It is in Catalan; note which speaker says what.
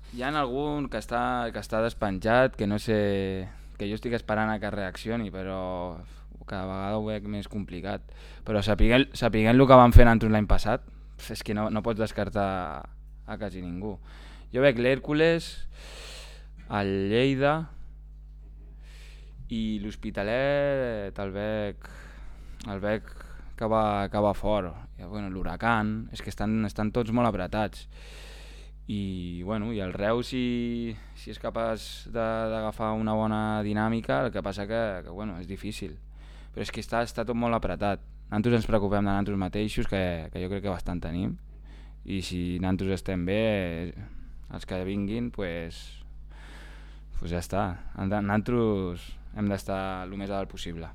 Speaker 1: Hi ha algun que està despenjat, que no sé, que jo estic esperant a que reaccioni, però cada vegada ho veig més complicat. Però sapiguent el que van fer nosaltres l'any passat, és que no pots descartar a quasi ningú. Jo veig l'Hèrcules, el Lleida i l'Hospitalet el veig que va fort. I, bueno, l'Huracan, és que estan tots molt apretats. I, bueno, i el Reus si és capaç d'agafar una bona dinàmica, el que passa que bueno, és difícil, però és que està tot molt apretat. Nosaltres ens preocupem de nosaltres mateixos, que jo crec que bastant tenim, i si nosaltres estem bé, els que vinguin pues ja està. Nosaltres hem d'estar el més a dalt possible.